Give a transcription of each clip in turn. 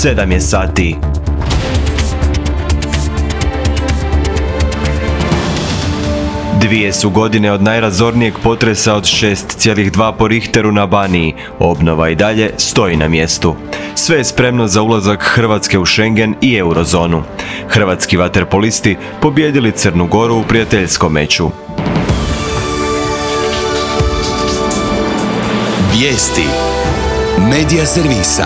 7 je sati. Dvije su godine od najrazornijeg potresa od 6,2 po Richteru na Baniji. Obnova i dalje stoji na mjestu. Sve je spremno za ulazak Hrvatske u Schengen i eurozonu. Hrvatski vaterpolisti pobijedili Crnu Goru u prijateljskom meču. Vijesti Medija servisa.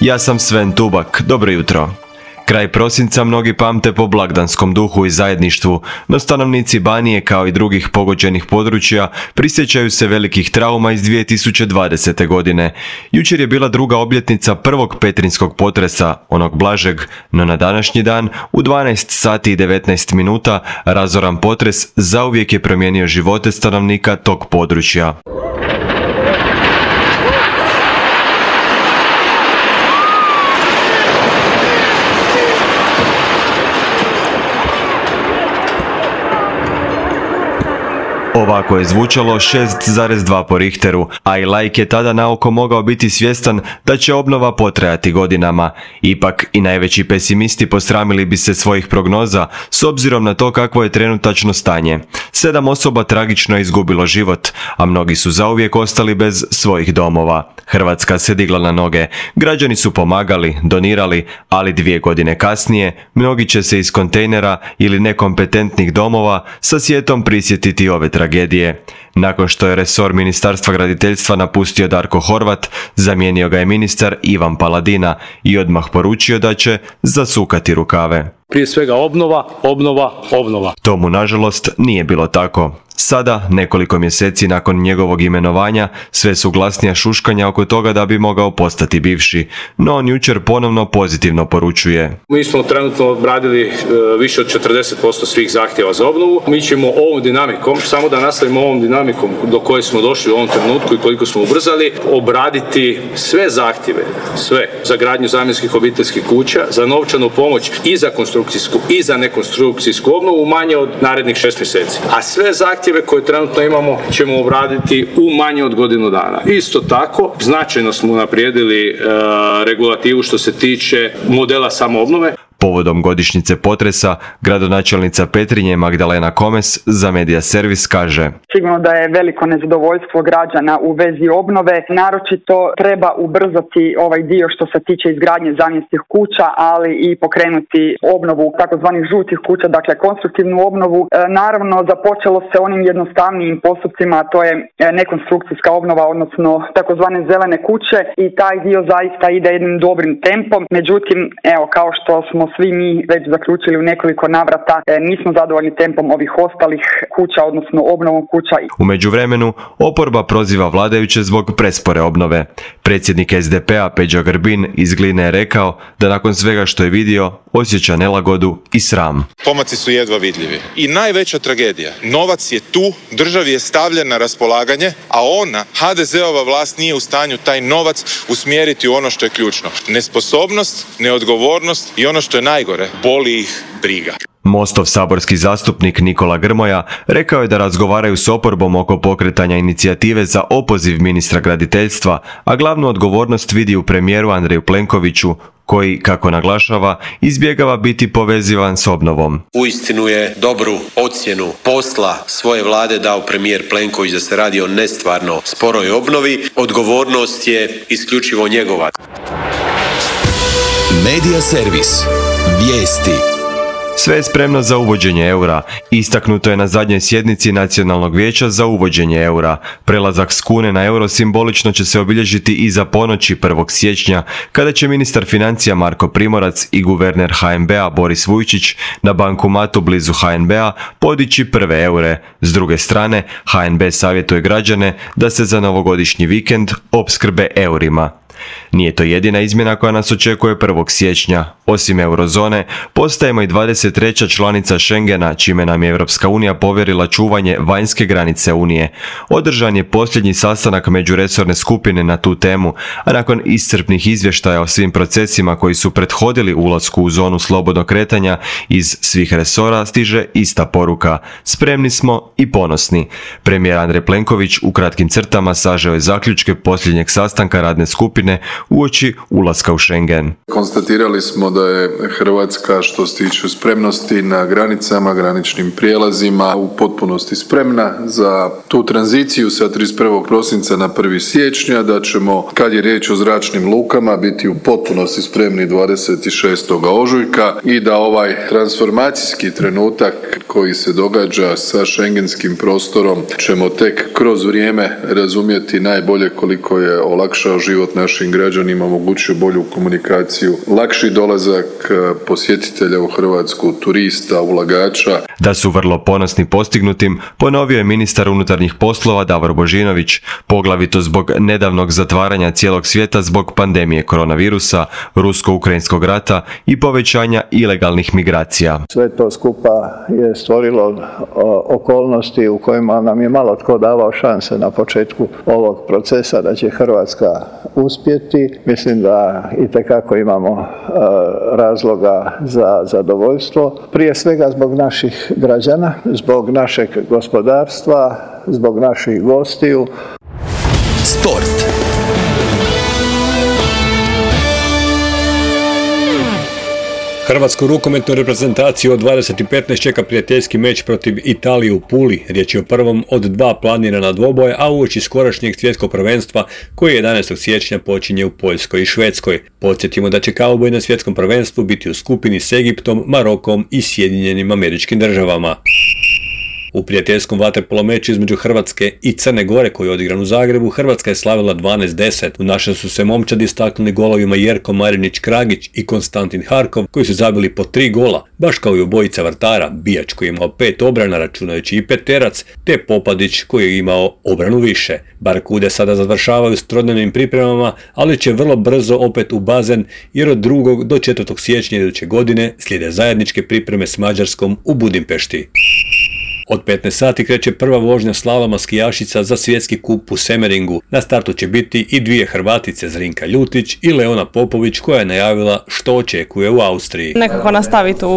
Ja sam Sven Tubak, dobro jutro. Kraj prosinca mnogi pamte po blagdanskom duhu i zajedništvu, no stanovnici Banije kao i drugih pogođenih područja prisjećaju se velikih trauma iz 2020. godine. Jučer je bila druga obljetnica prvog petrinskog potresa, onog blažeg, no na današnji dan u 12 sati i 19 minuta razoran potres zauvijek je promijenio živote stanovnika tog područja. Ovako je zvučalo 6,2 po Richteru, a i laik je tada naoko mogao biti svjestan da će obnova potrajati godinama. Ipak i najveći pesimisti posramili bi se svojih prognoza s obzirom na to kakvo je trenutačno stanje. 7 osoba tragično je izgubilo život, a mnogi su zauvijek ostali bez svojih domova. Hrvatska se digla na noge, građani su pomagali, donirali, ali 2 godine kasnije mnogi će se iz kontejnera ili nekompetentnih domova sa sjetom prisjetiti ove tragedije. Nakon što je resor Ministarstva graditeljstva napustio Darko Horvat, zamijenio ga je ministar Ivan Paladina i odmah poručio da će zasukati rukave. Prije svega obnova. Tomu nažalost nije bilo tako. Sada, nekoliko mjeseci nakon njegovog imenovanja, sve su glasnija šuškanja oko toga da bi mogao postati bivši, no on jučer ponovno pozitivno poručuje. Mi smo trenutno obradili više od 40% svih zahtjeva za obnovu. Mi ćemo ovom dinamikom, samo da nastavimo ovom dinamikom do koje smo došli u ovom trenutku i koliko smo ubrzali, obraditi sve zahtjeve, sve za gradnju zamjenskih obiteljskih kuća, za novčanu pomoć i za konstrukcijsku i za nekonstrukcijsku obnovu u manje od narednih 6 mjeseci. A sve zahtjeve koje trenutno imamo ćemo obraditi u manje od godinu dana. Isto tako, značajno smo unaprijedili regulativu što se tiče modela samoobnove. Povodom godišnjice potresa, gradonačelnica Petrinje Magdalena Komes za Medija servis kaže: Sigurno da je veliko nezadovoljstvo građana u vezi obnove. Naročito treba ubrzati ovaj dio što se tiče izgradnje zamjenskih kuća, ali i pokrenuti obnovu takozvanih žutih kuća, dakle konstruktivnu obnovu. Naravno, započelo se onim jednostavnijim postupcima, a to je nekonstrukcijska obnova, odnosno takozvane zelene kuće, i taj dio zaista ide jednim dobrim tempom. Međutim, evo, kao što smo svi mi već zaključili u nekoliko navrata, nismo zadovoljni tempom ovih ostalih kuća, odnosno obnovom kuća. U međuvremenu, oporba proziva vladajuće zbog prespore obnove. Predsjednik SDP-a Peđa Grbin iz Gline je rekao da nakon svega što je vidio, osjeća nelagodu i sram. Pomaci su jedva vidljivi. I najveća tragedija, novac je tu, državi je stavljen na raspolaganje, a ona, HDZ-ova vlast, nije u stanju taj novac usmjeriti u ono što je ključno. Nesposobnost, neodgovornost i ono što je najgore, boli ih briga. Mostov saborski zastupnik Nikola Grmoja rekao je da razgovaraju s oporbom oko pokretanja inicijative za opoziv ministra graditeljstva, a glavnu odgovornost vidi u premijeru Andreju Plenkoviću, koji, kako naglašava, izbjegava biti povezivan s obnovom. Uistinu je dobru ocjenu posla svoje vlade dao premijer Plenković da se radi o nestvarno sporoj obnovi. Odgovornost je isključivo njegova. Medija servis. Vijesti. Sve je spremno za uvođenje eura. Istaknuto je na zadnjoj sjednici Nacionalnog vijeća za uvođenje eura. Prelazak s kune na euro simbolično će se obilježiti iza ponoći 1. siječnja, kada će ministar financija Marko Primorac i guverner HNB-a Boris Vujčić na bankomatu blizu HNB-a podići prve eure. S druge strane, HNB savjetuje građane da se za novogodišnji vikend opskrbe eurima. Nije to jedina izmjena koja nas očekuje 1. siječnja. Osim eurozone, postajemo i 23. članica Schengena, čime nam je Europska unija povjerila čuvanje vanjske granice Unije. Održan je posljednji sastanak međuresorne skupine na tu temu, a nakon iscrpnih izvještaja o svim procesima koji su prethodili ulasku u zonu slobodnog kretanja, iz svih resora stiže ista poruka: spremni smo i ponosni. Premijer Andrej Plenković u kratkim crtama sažeo je zaključke posljednjeg sastanka radne skupine tjedne uoči ulaska u Schengen. Konstatirali smo da je Hrvatska što se tiče spremnosti na granicama, graničnim prijelazima u potpunosti spremna za tu tranziciju sa 31. prosinca na 1. siječnja, da ćemo, kad je riječ o zračnim lukama, biti u potpunosti spremni 26. ožujka i da ovaj transformacijski trenutak koji se događa sa schengenskim prostorom ćemo tek kroz vrijeme razumjeti najbolje koliko je olakšao život našim građanima, omogućio bolju komunikaciju, lakši dolazak posjetitelja u Hrvatsku, turista, ulagača. Da su vrlo ponosni postignutim, ponovio je ministar unutarnjih poslova Davor Božinović, poglavito zbog nedavnog zatvaranja cijelog svijeta zbog pandemije koronavirusa, rusko-ukrajinskog rata i povećanja ilegalnih migracija. Sve to skupa je stvorilo okolnosti u kojima nam je malo tko davao šanse na početku ovog procesa da će Hrvatska uspjeti. Mislim da itekako imamo razloga za zadovoljstvo. Prije svega zbog naših građana, zbog našeg gospodarstva, zbog naših gostiju. Sport. Hrvatsku rukometnu reprezentaciju od 20.15 čeka prijateljski meč protiv Italije u Puli. Riječ je o prvom od dva planirana dvoboja, a uoči skorašnjeg svjetskog prvenstva koji 11. siječnja počinje u Poljskoj i Švedskoj. Podsjetimo da će kauboji na svjetskom prvenstvu biti u skupini s Egiptom, Marokom i Sjedinjenim Američkim Državama. U prijateljskom vaterpolo meču između Hrvatske i Crne Gore koji je odigran u Zagrebu, Hrvatska je slavila 12-10. U našem su se momčadi istaknuli golovima Jerko Marinić-Kragić i Konstantin Harkov koji su zabili po 3 gola, baš kao i obojica vrtara, Bijač koji je imao 5 obrana računajući i Peterac, te Popadić koji je imao obranu više. Barkude sada završavaju s trodnevnim pripremama, ali će vrlo brzo opet u bazen jer od 2. do 4. siječnja iduće godine slijede zajedničke pripreme s Mađarskom u Budimpešti. Od 15 sati kreće prva vožnja slaloma skijašica za svjetski kup u Semeringu. Na startu će biti i dvije Hrvatice, Zrinka Ljutić i Leona Popović, koja je najavila što očekuje u Austriji. Nekako nastaviti u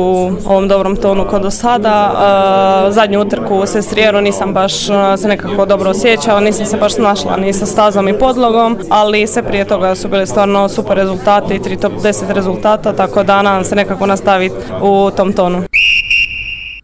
ovom dobrom tonu kao do sada. Zadnju utrku u Sestrijeru nisam baš se nekako dobro osjećala, nisam se baš snašla ni sa stazom i podlogom, ali sve prije toga su bili stvarno super rezultati, 3 top 10 rezultata, tako da nadam se nekako nastaviti u tom tonu.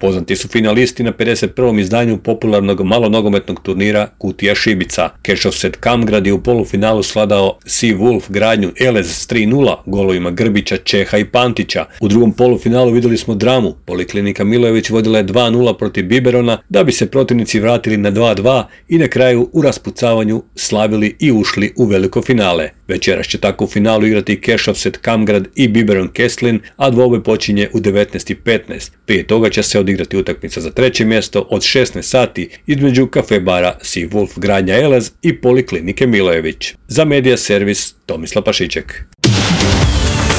Poznati su finalisti na 51. izdanju popularnog malonogometnog turnira Kutija Šibica. Kešovset Kamgrad je u polufinalu svladao Sea Wolf Gradnju Elez s 3-0 golovima Grbića, Čeha i Pantića. U drugom polufinalu vidjeli smo dramu. Poliklinika Milojević vodila je 2-0 protiv Biberona, da bi se protivnici vratili na 2-2 i na kraju u raspucavanju slavili i ušli u veliko finale. Večeras će tako u finalu igrati Kešovset Kamgrad i Biberon Kesslin, a dvoboj počinje u 19:15. Prije toga će se odigrati utakmica za treće mjesto od 16 sati između kafe bara Sea Wolf Gradnja Elez i Poliklinike Milojević. Za Medija Servis Tomislav Pašiček.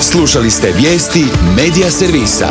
Slušali ste vijesti Medija Servisa.